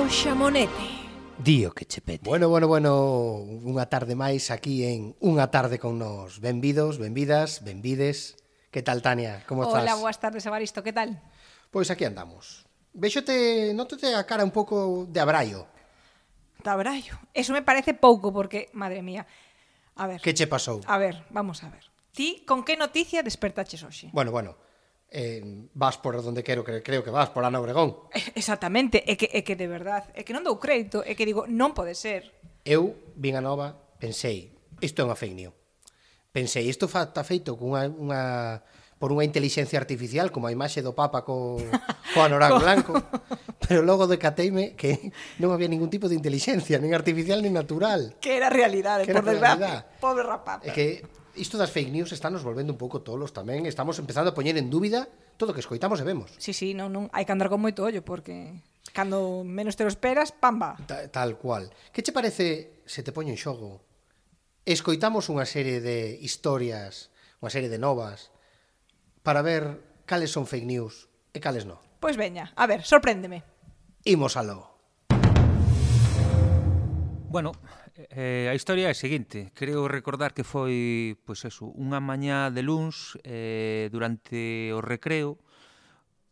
O Xamonete. Dío que che pete. Bueno, unha tarde máis aquí en Unha tarde con nos. Benvidos, benvidas, benvides. Que tal, Tania? Como estás? Hola, boas tardes, Evaristo, que tal? Pois aquí andamos. Véxote, nótate a cara un pouco de abraio. Tabraio. Eso me parece pouco porque, madre mía. A ver. Que che pasou? A ver, vamos a ver. Ti con que noticia despertaches hoxe? Bueno, vas por onde creo que vas, por Ana Obregón. Exactamente, é que de verdad, é que non dou crédito, é que digo, non pode ser. Eu vin a nova, pensei, isto é unha fake news. Pensei, isto está feito con por unha inteligencia artificial, como a imaxe do Papa co anorak blanco, pero logo decateime que non había ningún tipo de inteligencia, nin artificial nin natural. Que era realidade, por desgracia. Pobre rapaz. É que isto das fake news está nos volvendo un pouco tolos tamén, estamos empezando a poñer en dúbida todo o que escoitamos e vemos. Sí, non, hai que andar con moito ollo, porque cando menos te lo esperas, pamba. Tal cual. Que che parece se te poño en xogo? Escoitamos unha serie de historias, unha serie de novas, para ver cales son fake news e cales non. Pois veña, a ver, sorpréndeme. Imos aló. Bueno, a historia é a seguinte. Creo recordar que foi, pois eso, unha mañá de luns, durante o recreo,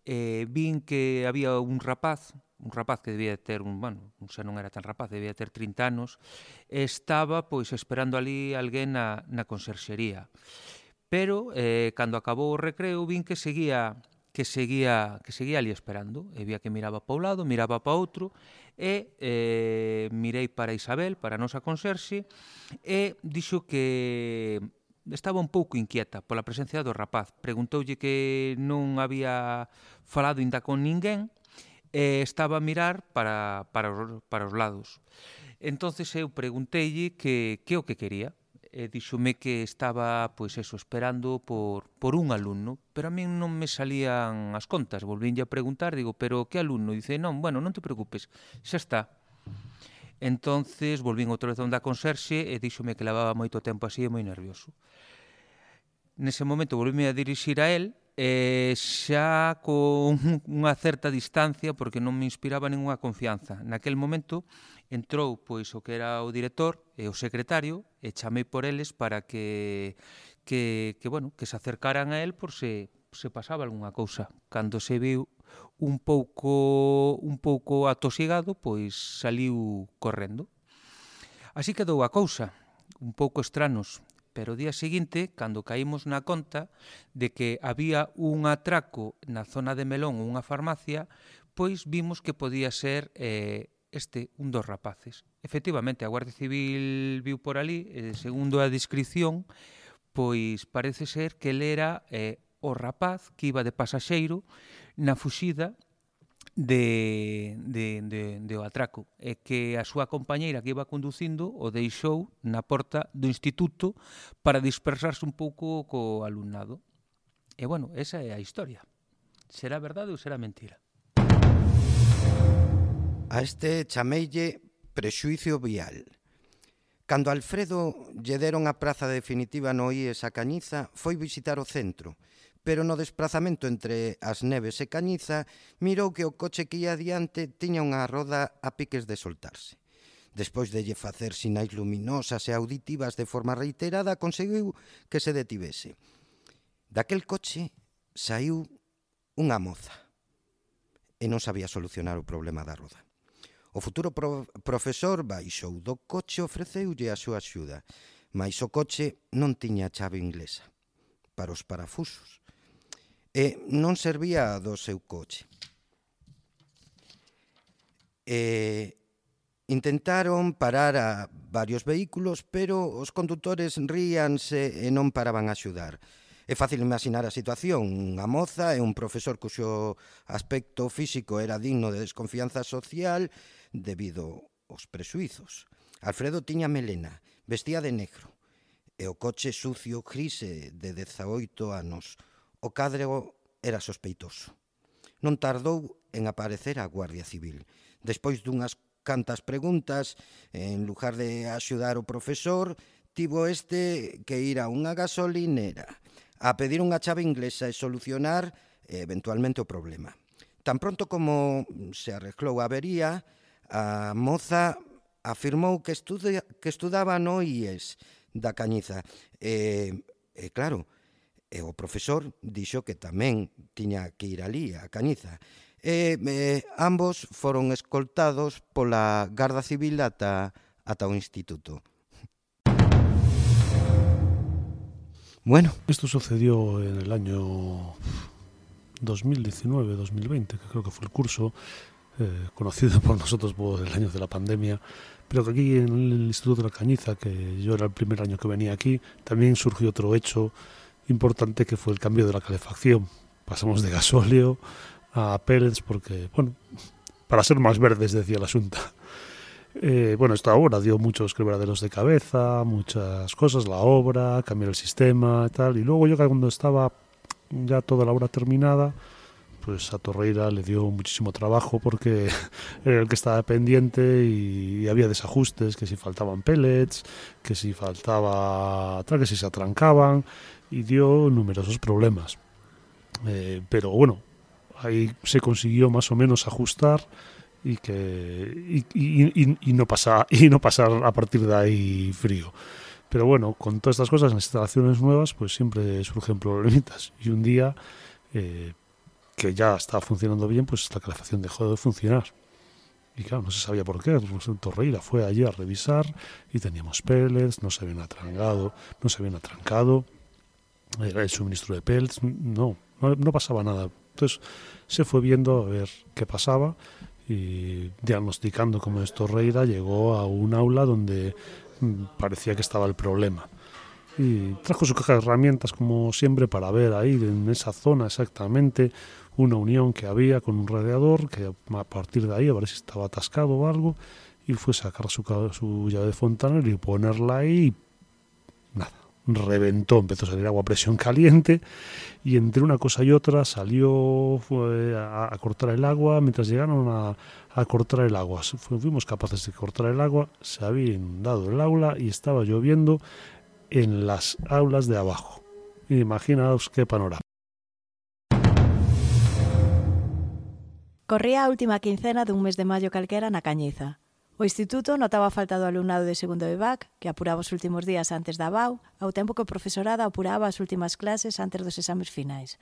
vin que había un rapaz que debía ter xa non era tan rapaz, debía ter 30 anos, estaba pois esperando ali alguén na conserxería. Pero cando acabou o recreo vin que seguía ali esperando, e vía que miraba para un lado, miraba para outro, e mirei para Isabel, para a nosa conserxe, e dixo que estaba un pouco inquieta pola presencia do rapaz. Preguntoulle que non había falado ainda con ninguén, e estaba a mirar para os lados. Entonces eu pregunteille que o que quería. E díxome que estaba, pois eso, esperando por un alumno, pero a min non me salían as contas. Volvínlle a preguntar, digo, pero que alumno? Dice, non te preocupes, xa está. Entonces volvín outra vez onde a conserxe e díxome que levaba moito tempo así e moi nervioso. Nese momento volvíme a dirixir a él, xa con unha certa distancia, porque non me inspiraba ninguna confianza. Naquel momento entrou pois o que era o director e o secretario e chamei por eles para que se acercaran a él por se pasaba algunha cousa. Cando se viu un pouco atosigado, pois saliu correndo. Así quedou a cousa, un pouco estranos. Pero o día seguinte, cando caímos na conta de que había un atraco na zona de Melón ou unha farmacia, pois vimos que podía ser un dos rapaces. Efectivamente, a Guardia Civil viu por ali, segundo a descripción, pois parece ser que ele era o rapaz que iba de pasaxeiro na fuxida de o atraco, e que a súa compañeira que iba conducindo o deixou na porta do instituto para dispersarse un pouco co alumnado. E bueno, esa é a historia. Será verdade ou será mentira? A este chameille prexuicio vial. Cando Alfredo lle deron a praza definitiva no IES a Cañiza, foi visitar o centro, pero no desprazamento entre as Neves e Cañiza mirou que o coche que ia adiante tiña unha roda a piques de soltarse. Despois de lle facer sinais luminosas e auditivas de forma reiterada, conseguiu que se detivese. Daquel coche saiu unha moza e non sabía solucionar o problema da roda. O futuro profesor baixou do coche e ofreceulle a súa axuda, mais o coche non tiña chave inglesa para os parafusos e non servía do seu coche. Intentaron parar a varios vehículos, pero os condutores ríanse e non paraban a axudar. É fácil imaginar a situación, unha moza e un profesor cuxo aspecto físico era digno de desconfianza social debido aos prexuizos. Alfredo tiña melena, vestía de negro, e o coche sucio gris de 18 anos. O cadro era sospeitoso. Non tardou en aparecer a Guardia Civil. Despois dunhas cantas preguntas, en lugar de axudar o profesor, tivo que ir a unha gasolinera a pedir unha chave inglesa e solucionar eventualmente o problema. Tan pronto como se arreglou a avería, A moza afirmou que estudaba no IES da Cañiza. Claro, o profesor dixo que tamén tiña que ir ali, a Cañiza. Ambos foron escoltados pola Garda Civil ata o instituto. Bueno. Esto sucedió en el año 2019-2020, que creo que fue el curso conocido por nosotros por el año de la pandemia, pero que aquí en el Instituto de la Cañiza, que yo era el primer año que venía aquí, también surgió otro hecho importante que fue el cambio de la calefacción. Pasamos de gasóleo a pellets porque, bueno, para ser más verdes, decía la Xunta. Esta obra dio muchos quebraderos de cabeza, muchas cosas, la obra, cambiar el sistema y tal, y luego yo cuando estaba ya toda la obra terminada, pues a Torreira le dio muchísimo trabajo porque era el que estaba pendiente y había desajustes, que si faltaban pellets, que si faltaba tal, que si se atrancaban, y dio numerosos problemas. Pero bueno, ahí se consiguió más o menos ajustar y no pasar a partir de ahí frío. Pero bueno, con todas estas cosas, en las instalaciones nuevas, pues siempre surgen problemitas. Y un día, que ya estaba funcionando bien, pues la calefacción dejó de funcionar. Y claro, no se sabía por qué. Pues Torreira fue allí a revisar y teníamos pellets, no se habían atrancado. Era el suministro de pellets, no pasaba nada. Entonces se fue viendo a ver qué pasaba y diagnosticando cómo es Torreira, llegó a un aula donde parecía que estaba el problema. Y trajo su caja de herramientas, como siempre, para ver ahí, en esa zona exactamente, una unión que había con un radiador, que a partir de ahí, a ver si estaba atascado o algo, y fue a sacar su llave de fontanero y ponerla ahí, y nada, reventó, empezó a salir agua a presión caliente, y entre una cosa y otra fue a cortar el agua. Mientras llegaron a cortar el agua, fuimos capaces de cortar el agua, se había inundado el aula y estaba lloviendo en las aulas de abajo. Imaginaos qué panorama. Corría a última quincena dun mes de maio calquera na Cañiza. O instituto notaba a falta do alumnado de segundo EVAC, que apuraba os últimos días antes da BAU, ao tempo que o profesorado apuraba as últimas clases antes dos exames finais.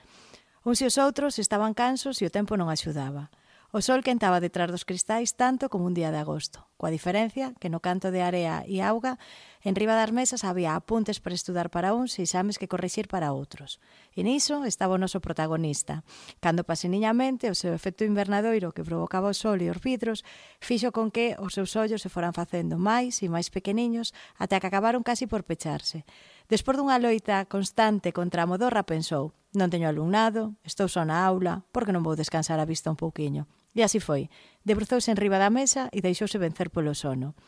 Uns e os outros estaban cansos e o tempo non axudaba. O sol quentaba detrás dos cristais tanto como un día de agosto, coa diferencia que no canto de area e auga, enriba das mesas había apuntes para estudar para uns e exames que corrixir para outros. E niso estaba o noso protagonista, cando paseniñamente o seu efecto invernadoiro que provocaba o sol e os vidros fixo con que os seus ollos se foran facendo máis e máis pequeniños até que acabaron casi por pecharse. Despois dunha loita constante contra a modorra pensou: non teño alumnado, estou só na aula, porque non vou descansar a vista un pouquiño? E así foi, debruzouse enriba da mesa e deixouse vencer polo sono.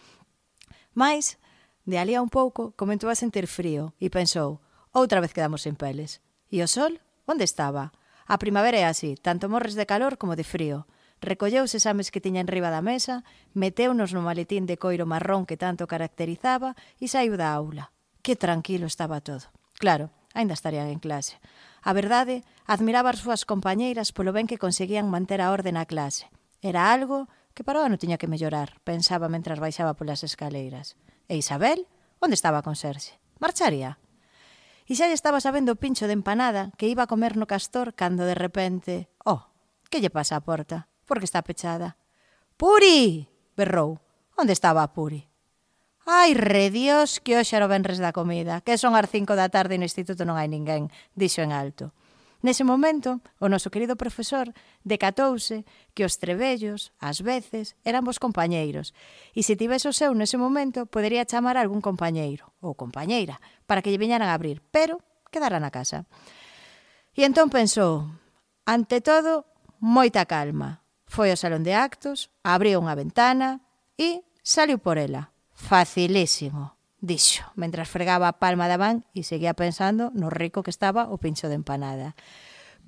Mais, de alí a un pouco, comentou a sentir frío e pensou: outra vez quedamos sen peles. E o sol? Onde estaba? A primavera é así, tanto morres de calor como de frío. Recolleu os exames que tiña enriba da mesa, meteunos no maletín de coiro marrón que tanto caracterizaba e saiu da aula. Que tranquilo estaba todo. Claro, aínda estarían en clase. A verdade, admiraba as súas compañeiras polo ben que conseguían manter a orde na clase. Era algo que para o ano tiña que mellorar, pensaba mentras baixaba polas escaleiras. E Isabel? Onde estaba con Serxe? Marcharía? E xa lle estaba sabendo o pincho de empanada que iba a comer no Castor cando de repente... que lle pasa á porta? Por que está pechada? Puri! Berrou. Onde estaba a Puri? Ai, redios, que hoxe era o venres da comida, que son as 5 da tarde e no instituto non hai ninguén, dixo en alto. Nese momento, o noso querido profesor decatouse que os trebellos, ás veces, eran vos compañeiros, e se tivese o seu nese momento, podería chamar a algún compañeiro, ou compañeira, para que lle viñaran a abrir, pero quedara na casa. E entón pensou, ante todo, moita calma. Foi ao salón de actos, abriu unha ventana e saliu por ela. Facilísimo, dixo, mentras fregaba a palma da man e seguía pensando no rico que estaba o pincho de empanada.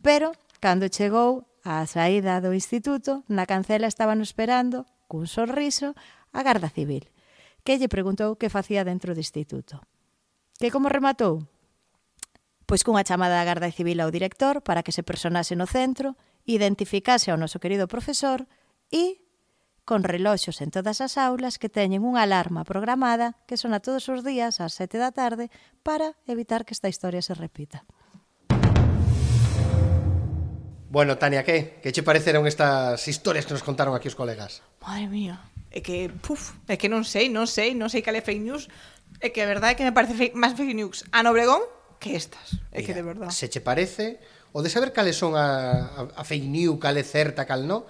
Pero, cando chegou á saída do instituto, na cancela estaban esperando, cun sorriso, a Garda Civil, que lle preguntou que facía dentro do instituto. Que como rematou? Pois cunha chamada da Garda Civil ao director para que se personase no centro, identificase ao noso querido profesor e con reloxos en todas as aulas que teñen unha alarma programada que sona todos os días ás 7 da tarde para evitar que esta historia se repita. Bueno, Tania, que che pareceron estas historias que nos contaron aquí os colegas? Madre mía, é que non sei cal é fake news. É que a verdade é que me parece máis fake news a Obregón que estas. É que de verdade. Se che parece, o de saber cales son a fake news, cal é certa, cal non,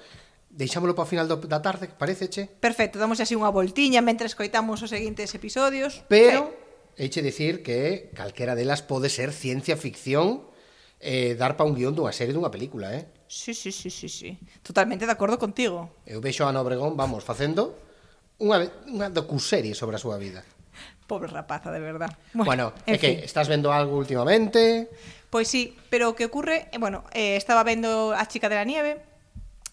deixámolo para o final da tarde, pareceche? Perfecto, damos así unha voltiña mentre escoitamos os seguintes episodios. Pero, eiche dicir que calquera delas pode ser ciencia ficción, dar pa un guión dunha serie, dunha película, Sí. Totalmente de acordo contigo. Eu vexo a Ana Obregón, facendo unha docuserie sobre a súa vida. Pobre rapaza, de verdad. Bueno, é que estás vendo algo últimamente? Pois sí, pero o que ocurre, estaba vendo A chica de la nieve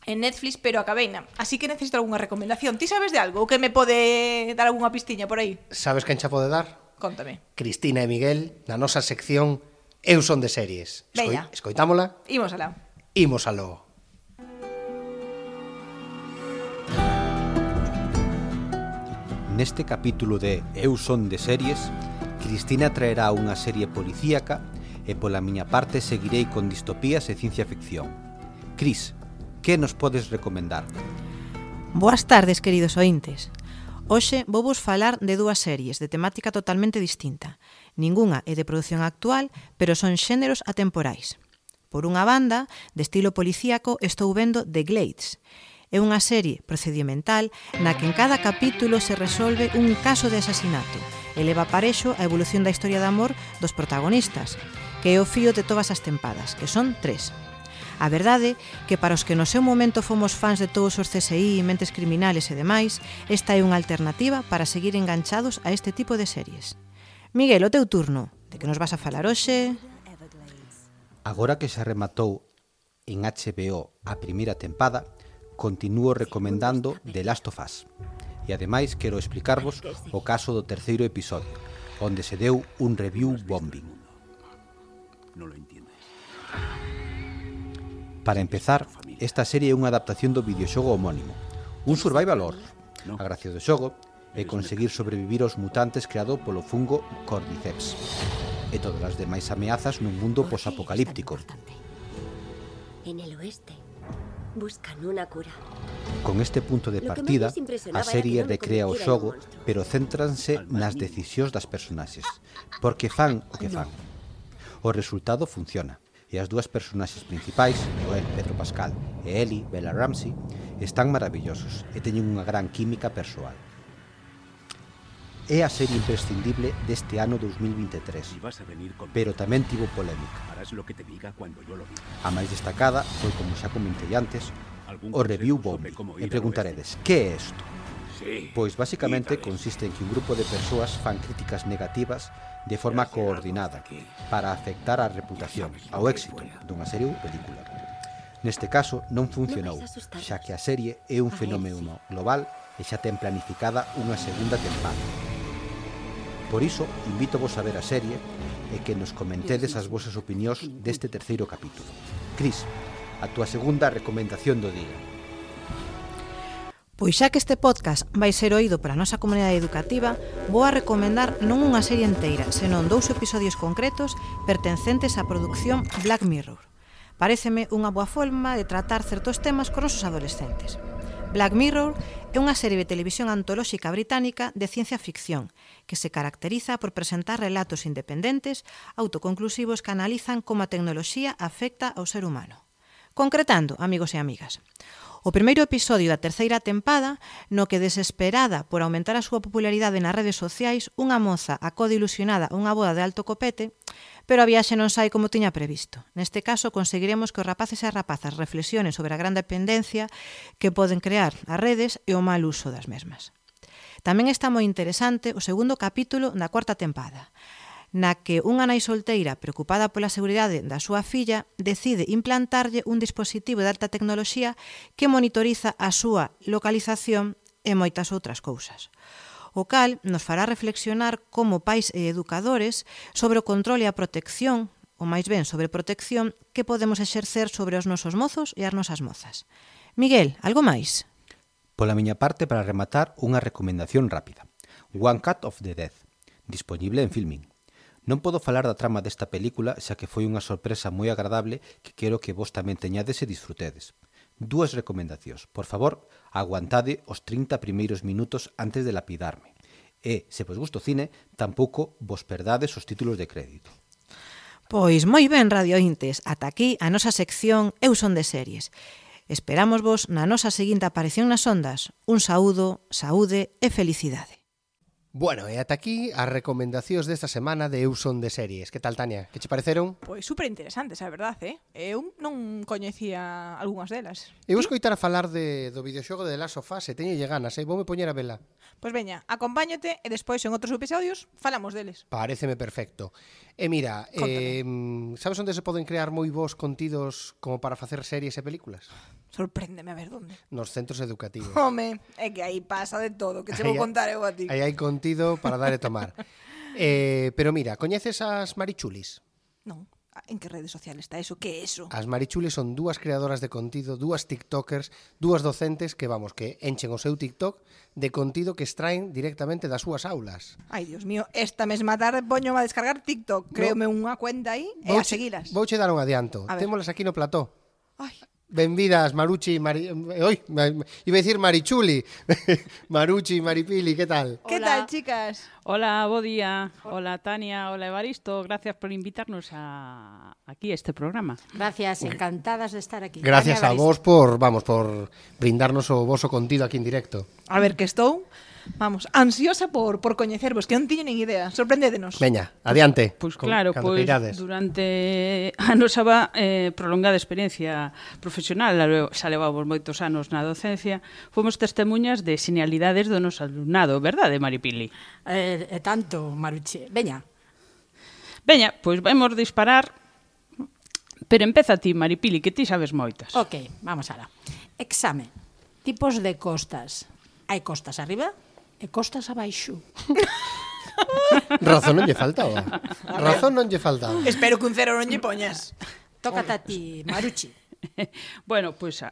en Netflix, pero acabeina. Así que necesito algunha recomendación. Ti sabes de algo? Ou que me pode dar algunha pistiña por aí? Sabes quen xa pode dar? Contame. Cristina e Miguel, na nosa sección Eu son de series. Veña. Escoitámola? Imos alá. Imos aló. Neste capítulo de Eu son de series, Cristina traerá unha serie policíaca e pola miña parte seguirei con distopías e ciencia ficción. Cris, que nos podes recomendar? Boas tardes, queridos ointes. Hoxe vou vos falar de dúas series de temática totalmente distinta. Ningunha é de produción actual, pero son xéneros atemporais. Por unha banda, de estilo policíaco, estou vendo The Glades. É unha serie procedimental na que en cada capítulo se resolve un caso de asasinato e leva parexo a evolución da historia de amor dos protagonistas, que é o fío de todas as tempadas, que son 3. A verdade que para os que no seu momento fomos fans de todos os CSI, mentes criminales e demais, esta é unha alternativa para seguir enganchados a este tipo de series. Miguel, o teu turno. De que nos vas a falar hoxe? Agora que se rematou en HBO a primeira tempada, continúo recomendando The Last of Us. E ademais quero explicarvos o caso do terceiro episodio, onde se deu un review bombing. Para empezar, esta serie é unha adaptación do videoxogo homónimo, un survival horror. A gracia do xogo é conseguir sobrevivir aos mutantes creado polo fungo Cordyceps e todas as demais ameazas nun mundo posapocalíptico. En el oeste buscan unha cura. Con este punto de partida, a serie recrea o xogo, pero céntranse nas decisións das personaxes, porque fan o que fan. O resultado funciona, e as dúas personaxes principais, Joel, Pedro Pascal, e Ellie, Bella Ramsey, están maravillosos e teñen unha gran química persoal. É a serie imprescindible deste ano 2023, pero tamén tivo polémica. A máis destacada foi, como xa comentei antes, o review bombing. E preguntaredes, que é isto? Pois basicamente consiste en que un grupo de persoas fan críticas negativas de forma coordinada para afectar a reputación, ao éxito dunha serie ou película. Neste caso non funcionou, xa que a serie é un fenómeno global e xa ten planificada unha segunda tempada. Por iso, invítovos a ver a serie e que nos comentedes as vosas opinións deste terceiro capítulo. Cris, a túa segunda recomendación do día. Pois xa que este podcast vai ser oído para a nosa comunidade educativa, vou a recomendar non unha serie inteira, senón 2 episodios concretos pertencentes á produción Black Mirror. Paréceme unha boa forma de tratar certos temas con nosos adolescentes. Black Mirror é unha serie de televisión antolóxica británica de ciencia ficción que se caracteriza por presentar relatos independentes, autoconclusivos que analizan como a tecnoloxía afecta ao ser humano. Concretando, amigos e amigas, o primeiro episodio da terceira tempada, no que desesperada por aumentar a súa popularidade nas redes sociais, unha moza acode ilusionada a unha boda de alto copete, pero a viaxe non sai como tiña previsto. Neste caso, conseguiremos que os rapaces e as rapazas reflexionen sobre a gran dependencia que poden crear as redes e o mal uso das mesmas. Tamén está moi interesante o segundo capítulo da cuarta tempada, na que unha nai solteira preocupada pola seguridade da súa filla decide implantarlle un dispositivo de alta tecnoloxía que monitoriza a súa localización e moitas outras cousas. O cal nos fará reflexionar como pais e educadores sobre o control e a protección, ou máis ben sobre protección, que podemos exercer sobre os nosos mozos e as nosas mozas. Miguel, algo máis? Pola miña parte, para rematar, unha recomendación rápida. One Cut of the Dead, dispoñible en Filmin. Non podo falar da trama desta película, xa que foi unha sorpresa moi agradable que quero que vos tamén teñades e disfrutedes. 2 recomendacións. Por favor, aguantade os 30 primeiros minutos antes de lapidarme. E, se vos gusta o cine, tampouco vos perdades os títulos de crédito. Pois moi ben, radiointes, ata aquí a nosa sección Eu son de series. Esperamos vos na nosa seguinte aparición nas ondas. Un saúdo, saúde e felicidade. Bueno, e ata aquí as recomendacións desta semana de Eu son de series. Que tal, Tania? Que che pareceron? Pois super interesantes, a verdade, Eu non coñecía algunhas delas. Eu vou escoitar a falar do videoxogo de The Last of Us e teño ganas, voume poñer a vela. Pois veña, acompáñate e despois en outros episodios falamos deles. Paréceme perfecto. E mira, sabes onde se poden crear moi bons contidos como para facer series e películas? Sorpréndeme a ver onde. Nos centros educativos. Home, é que aí pasa de todo, que che vou contar eu a ti. Aí hai contido para dar e tomar. Pero mira, coñeces as Marichulis? Non. En que redes sociales está eso? Que é eso? As Marichulis son 2 creadoras de contido, 2 tiktokers, 2 docentes que, que enchen o seu tiktok de contido que extraen directamente das súas aulas. Ai, Dios mío, esta mesma tarde poño a descargar tiktok. Créome unha cuenta aí e a seguilas. Vouche dar un adianto. Témolas aquí no plató. Ai. Benvidas, Maruchi, iba a decir Marichuli. Maruchi, Maripili, ¿qué tal? ¿Qué tal, chicas? Hola, bo día. Hola, Tania. Hola, Evaristo. Gracias por invitarnos aquí a este programa. Gracias, encantadas de estar aquí. Gracias a vos por brindarnos o voso contido aquí en directo. A ver, que estou, ansiosa por coñecervos, que non tiño nin idea. Sorprendédenos. Veña, adiante. Pois claro, durante a nosa prolongada experiencia profesional, xa levamos moitos anos na docencia, fomos testemunhas de genialidades do noso alumnado, verdade, Maripili? Tanto, Maruche. Veña, pois vamos disparar, pero empeza ti, Maripili, que ti sabes moitas. Ok, vamos alá. Exame. Tipos de costas. Hai costas arriba e costas abaixo. Razón non lle faltaba. Espero que un cero non lle poñas. Tócate a ti, Maruchi. Bueno, pois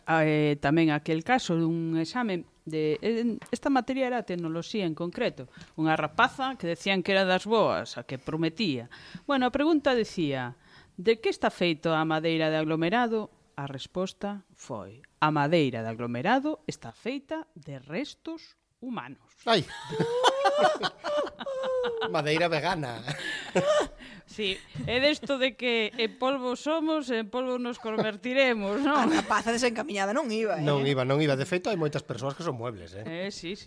tamén aquel caso dun exame de esta materia era tecnoloxía en concreto. Unha rapaza que decían que era das boas, a que prometía. Bueno, a pregunta decía: de que está feito a madeira de aglomerado? A resposta foi: a madeira de aglomerado está feita de restos humanos. Ai. Madeira vegana. Sí, é desto de que en polvo somos, en polvo nos convertiremos, non? A rapaza desencamiñada non iba, Non iba. De feito, hai moitas persoas que son muebles, Sí.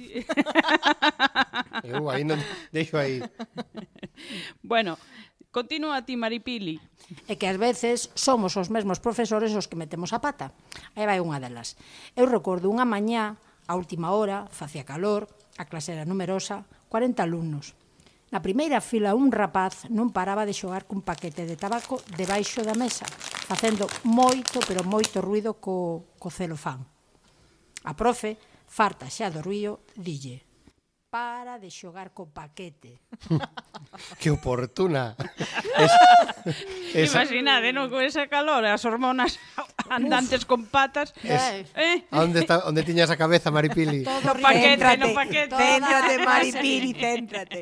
Eu aí non deixo aí. Bueno, continúa ti, Maripili. É que ás veces somos os mesmos profesores os que metemos a pata. Aí vai unha delas. Eu recordo unha mañá, a última hora, facía calor, a clase era numerosa, 40 alumnos. Na primeira fila un rapaz non paraba de xogar cun paquete de tabaco debaixo da mesa, facendo moito, pero moito ruido co celofán. A profe, farta xa do ruído, dille: para de xogar co paquete. Que oportuna. Imaginade, non? Con esa calor, as hormonas andantes con patas. Onde tiñas a cabeza, Maripili? No paquete. Céntrate, Maripili, céntrate.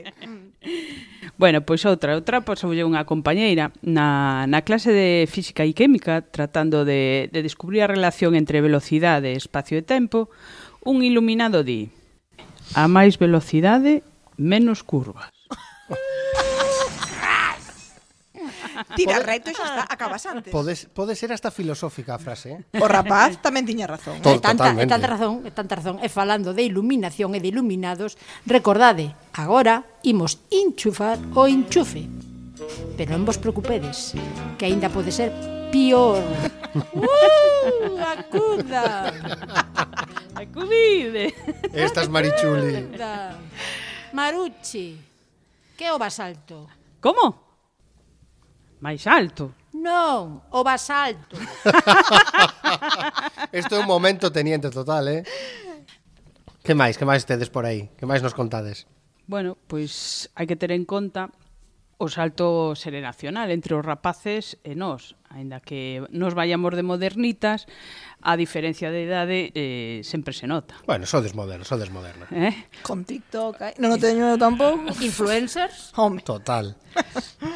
Bueno, pois outra pasoulle unha compañeira na clase de física e química, tratando de descubrir a relación entre velocidade, espacio e tempo. Un iluminado di: a máis velocidade, menos curvas. Tira recto e xa está, acabas antes. Pode ser hasta filosófica a frase, O rapaz tamén tiña razón. É tanta razón. E falando de iluminación e de iluminados, recordade, agora imos enchufar o enchufe. Pero non vos preocupedes, que aínda pode ser pior. Acuda! Acudide! Estas Marichuli. Maruchi, que é o basalto? Como? Máis alto? Non, o basalto. Isto é un momento teniente total, Que máis tedes por aí? Que máis nos contades? Bueno, pois hai que ter en conta o salto xeracional entre os rapaces e nós, aínda que nos vayamos de modernitas, a diferencia de idade sempre se nota. Bueno, sodes moderna. Con TikTok, non o teño eu tampouco. Influencers? Home. Total.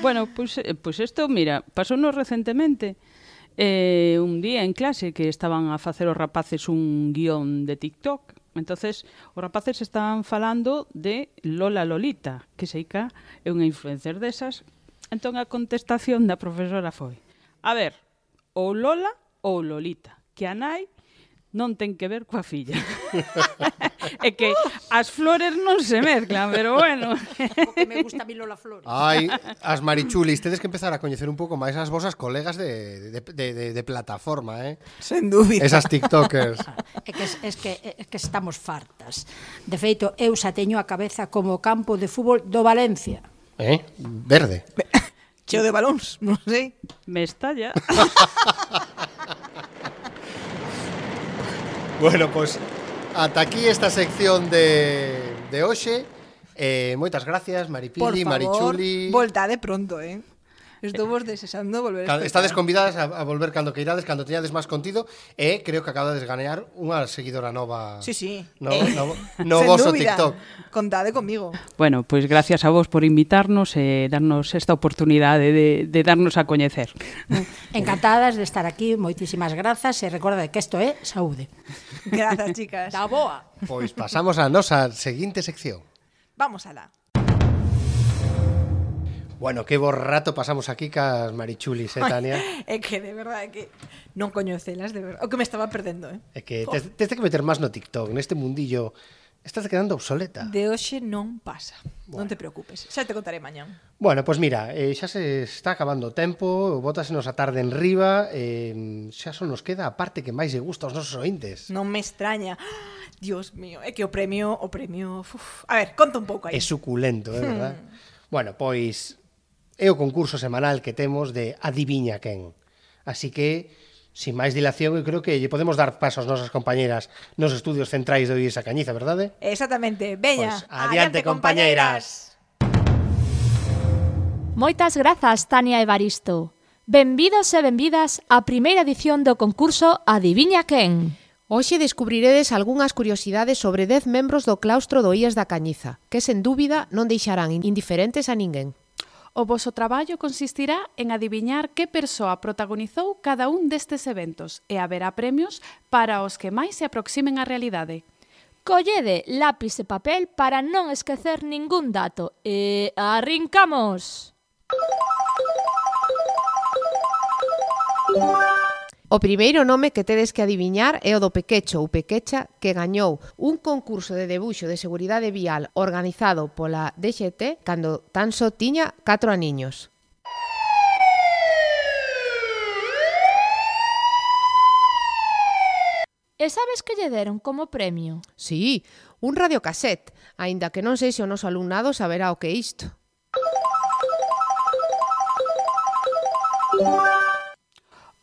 Bueno, pues isto, mira, pasounos recentemente un día en clase que estaban a facer os rapaces un guión de TikTok. Entonces, os rapaces estaban falando de Lola Lolita, que seica é unha influencer desas. Entón, a contestación da profesora foi: a ver, ou Lola ou Lolita, que a nai non ten que ver coa filla. É que as flores non se mezclan, pero bueno. O que me gusta a mí Lola Flores. Ai, as marichulis, tedes que empezar a coñecer un pouco máis as vosas colegas de plataforma, Sen dúbida. Esas tiktokers. É que estamos fartas. De feito, eu xa teño a cabeza como o campo de fútbol do Valencia. Verde. Cheo de balóns, non sei. Me estalla. Bueno, pois ata aquí esta sección de hoxe. Moitas gracias, Maripili, Marichuli. Voltade pronto, Estou vos desexando volver a Estades convidadas a volver cando queirades, cando teñades máis contido, e creo que acabades de gañar unha seguidora nova. Sí. No voso TikTok. Contade comigo. Bueno, pois gracias a vos por invitarnos e darnos esta oportunidade de darnos a coñecer. Encantadas de estar aquí, moitísimas grazas, e recorda que isto é saúde. Grazas, chicas. Da boa. Pois pasamos á nosa seguinte sección. Vamos alá. Bueno, que bo rato pasamos aquí cas Marichulis, Tania? É que, de verdade, que non coñecelas, de verdade. O que me estaba perdendo, É que tes que meter máis no TikTok, neste mundillo. Estás quedando obsoleta. De hoxe non pasa. Non te preocupes, xa te contaré mañán. Bueno, pois mira, xa se está acabando o tempo, bótasenos a tarde en riba, xa só nos queda a parte que máis lle gusta aos nosos ointes. Non me extraña. Dios mío, é que o premio... A ver, conta un pouco aí. É suculento, é verdad? Bueno, pois é o concurso semanal que temos de Adiviña quen. Así que, sin máis dilación, eu creo que lle podemos dar paso ás nosas compañeras nos estudios centrais de Oís a Cañiza, verdade? Exactamente. Veña, pues, adiante, compañeiras. Moitas grazas, Tania e Evaristo. Benvidos e benvidas á primeira edición do concurso Adiviña quen. Hoxe descubriredes algunhas curiosidades sobre 10 membros do claustro do IES da Cañiza, que sen dúbida non deixarán indiferentes a ninguén. O voso traballo consistirá en adiviñar que persoa protagonizou cada un destes eventos e haberá premios para os que máis se aproximen á realidade. Collede lápis e papel para non esquecer ningún dato e arrincamos! O primeiro nome que tedes que adiviñar é o do Pequecho ou Pequecha, que gañou un concurso de debuxo de seguridade vial organizado pola DXT cando tan só tiña 4 aniños. E sabes que lle deron como premio? Sí, un radiocassette, aínda que non sei se o noso alumnado saberá o que é isto.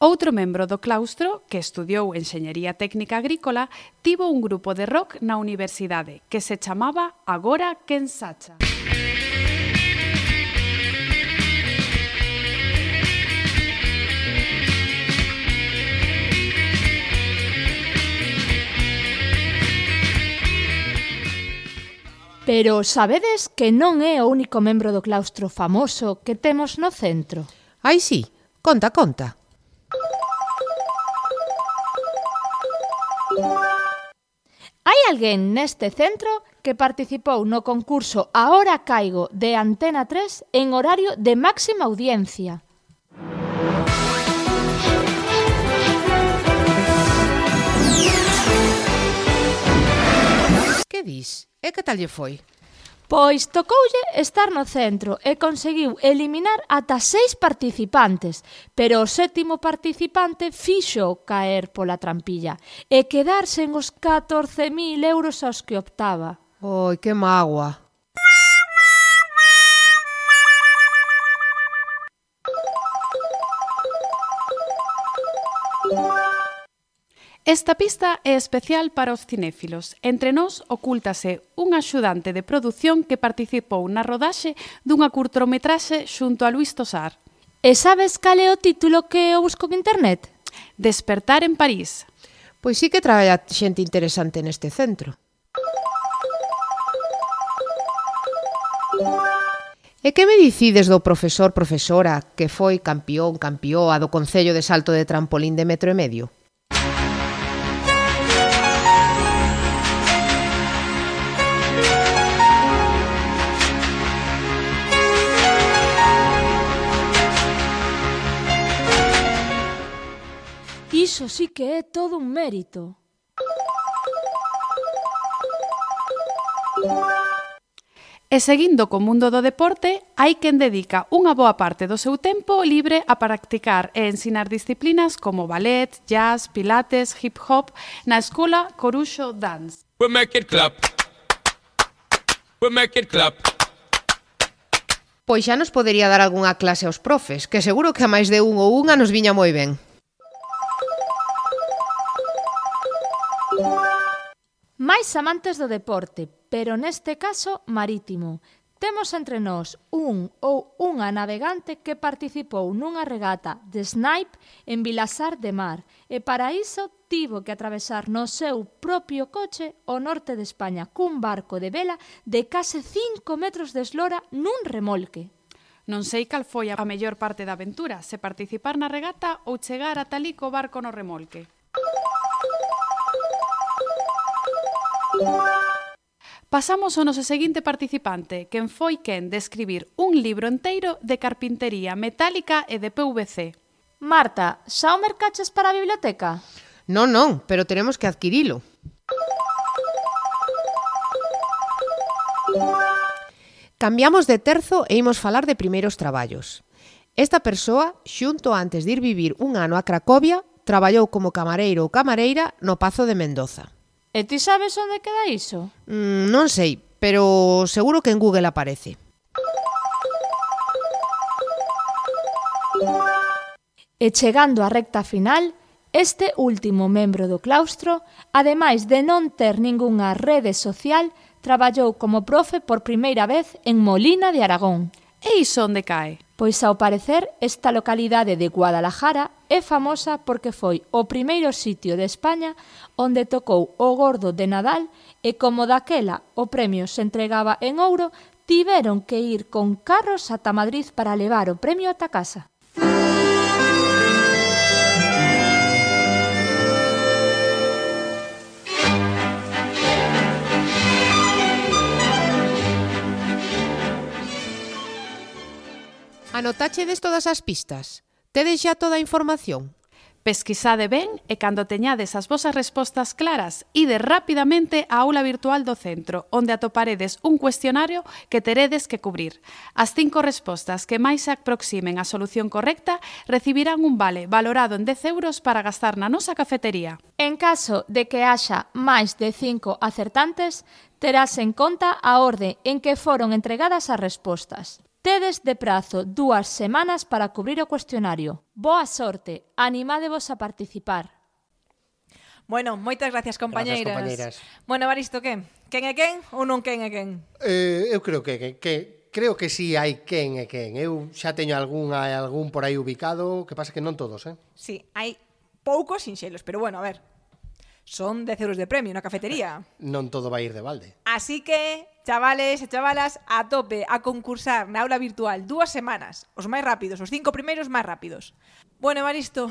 Outro membro do claustro, que estudiou Enxeñería Técnica Agrícola, tivo un grupo de rock na universidade que se chamaba Agora quen sacha. Pero sabedes que non é o único membro do claustro famoso que temos no centro? Ai, sí, conta, conta. Hai alguén neste centro que participou no concurso Ahora Caigo de Antena 3 en horario de máxima audiencia. Que dis? E que tal lle foi? Pois tocoulle estar no centro e conseguiu eliminar ata 6 participantes, pero o 7º participante fixo caer pola trampilla e quedar sen os 14.000 euros aos que optaba. Oi, que mágoa. Esta pista é especial para os cinéfilos. Entre nós ocúltase un axudante de produción que participou na rodaxe dunha curtometraxe xunto a Luis Tosar. E sabes cal é o título que eu busco en internet? Despertar en París. Pois sí que traballa xente interesante neste centro. E que me dicides do profesora que foi campioa do Concello de Salto de Trampolín de 1,5 metros? Iso sí que é todo un mérito. E seguindo co mundo do deporte, hai quen dedica unha boa parte do seu tempo libre a practicar e ensinar disciplinas como ballet, jazz, pilates, hip hop na escola Coruxo Dance. We make it clap. We make it clap. Pois xa nos podería dar algunha clase aos profes, que seguro que a máis de un ou unha nos viña moi ben. Máis amantes do deporte, pero neste caso marítimo. Temos entre nós un ou unha navegante que participou nunha regata de snipe en Vilasar de Mar e para iso tivo que atravesar no seu propio coche o norte de España cun barco de vela de case 5 metros de eslora nun remolque. Non sei cal foi a mellor parte da aventura, se participar na regata ou chegar ata alí co barco no remolque. Pasamos ao noso seguinte participante, quen foi quen de escribir un libro enteiro de carpintería metálica e de PVC. Marta, xa o mercaches para a biblioteca? Non, pero teremos que adquirilo. Cambiamos de terzo e imos falar de primeiros traballos. Esta persoa, xunto antes de ir vivir un ano a Cracovia, traballou como camareiro ou camareira no Pazo de Mendoza. E ti sabes onde queda iso? Non sei, pero seguro que en Google aparece. E chegando á recta final, este último membro do claustro, ademais de non ter ningunha rede social, traballou como profe por primeira vez en Molina de Aragón. E iso onde cae? Pois ao parecer, esta localidade de Guadalajara é famosa porque foi o primeiro sitio de España onde tocou o Gordo de Nadal e como daquela o premio se entregaba en ouro, tiveron que ir con carros ata Madrid para levar o premio ata casa. Anotáchedes todas as pistas? Tedes xa toda a información? Pesquisade ben e cando teñades as vosas respostas claras, ide rapidamente á aula virtual do centro, onde atoparedes un cuestionario que teredes que cubrir. As 5 respostas que máis se aproximen á solución correcta recibirán un vale valorado en 10 euros para gastar na nosa cafetería. En caso de que haxa máis de 5 acertantes, terás en conta a orde en que foron entregadas as respostas. Tedes de prazo 2 semanas para cubrir o cuestionario. Boa sorte, animádevos a participar. Bueno, moitas gracias, compañeiras. Gracias, compañeiras. Bueno, Evaristo, que? Quen é quen ou non quen é quen? Eu creo que sí hai quen é quen. Eu xa teño algún por aí ubicado, que pasa que non todos, Sí, hai poucos sinxelos, pero bueno, a ver. Son 10 euros de premio na cafetería. Non todo vai ir de balde. Así que, chavales e chavalas, a tope a concursar na aula virtual 2 semanas. Os máis rápidos, os 5 primeiros máis rápidos. Bueno, Evaristo,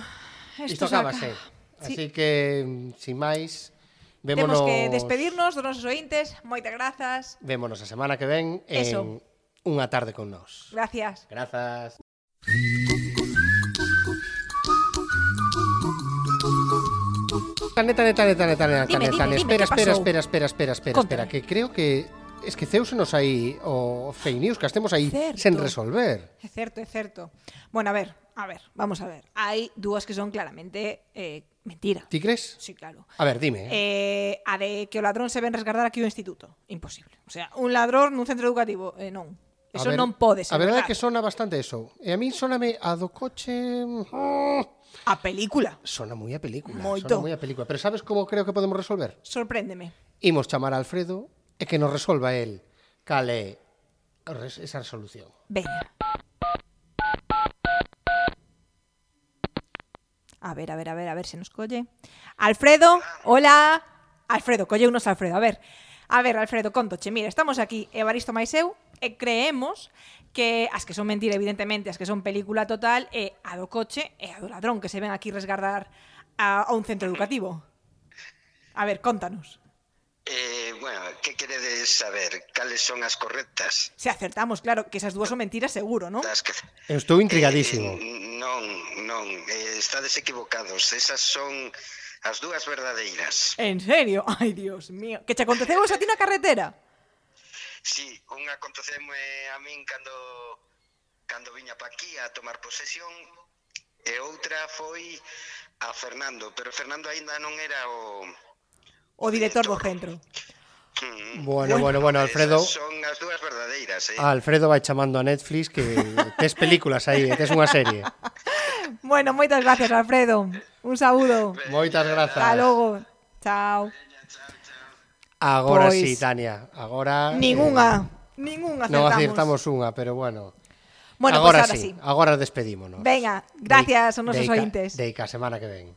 isto acabase. Sí. Así que, sin máis, vémonos... Temos que despedirnos dos nosos ointes. Moitas grazas. Vémonos a semana que ven en Unha tarde con nós. Gracias. Grazas. Espera, que creo que esqueceúsenos aí o fake news que estemos aí sen resolver. É certo. Bueno, a ver, vamos a ver. Hai dúas que son claramente mentira. Ti crees? Sí, claro. A ver, dime. A de que o ladrón se ven resguardar aquí o instituto. Imposible. O sea, un ladrón nun centro educativo, non. Eso non pode ser A verdade é verdade. que sona bastante eso. E a mí soname a do coche... A película. Sona moi a película. Moito. Sona moi a película. Pero sabes como creo que podemos resolver? Sorpréndeme. Imos chamar a Alfredo e que nos resolva el cal é esa resolución. Veña. A ver se nos colle. Alfredo, hola. Alfredo, colleunos Alfredo. A ver, Alfredo, contoche. Mira, estamos aquí, Evaristo máis eu, e creemos que as que son mentira, evidentemente, as que son película total, é a do coche e a do ladrón que se ven aquí resguardar a un centro educativo. A ver, contanos. Bueno, que queredes saber? Cales son as correctas? Se acertamos, claro, que esas dúas son mentiras seguro, ¿no? Eu estou intrigadísimo. Non, estades equivocados. Esas son as dúas verdadeiras. En serio? Ai, Dios mío. Que che aconteceu eso a ti na carretera? Sí, unha aconteceume a min cando viña pa aquí a tomar posesión e outra foi a Fernando, pero Fernando aínda non era o director do centro. Bueno, Alfredo. Esas son as dúas verdadeiras, Alfredo vai chamando a Netflix que tes películas aí, tes unha serie. Bueno, moitas gracias, Alfredo. Un saúdo. Moitas grazas. Hasta logo. Chao. Agora Pois, sí, Tania. Agora Ningunha acertamos. Non acertamos unha, pero bueno. Bueno, agora pues ahora sí. Agora despedímonos. Venga, gracias aos nosos ointes. Deica, semana que ven.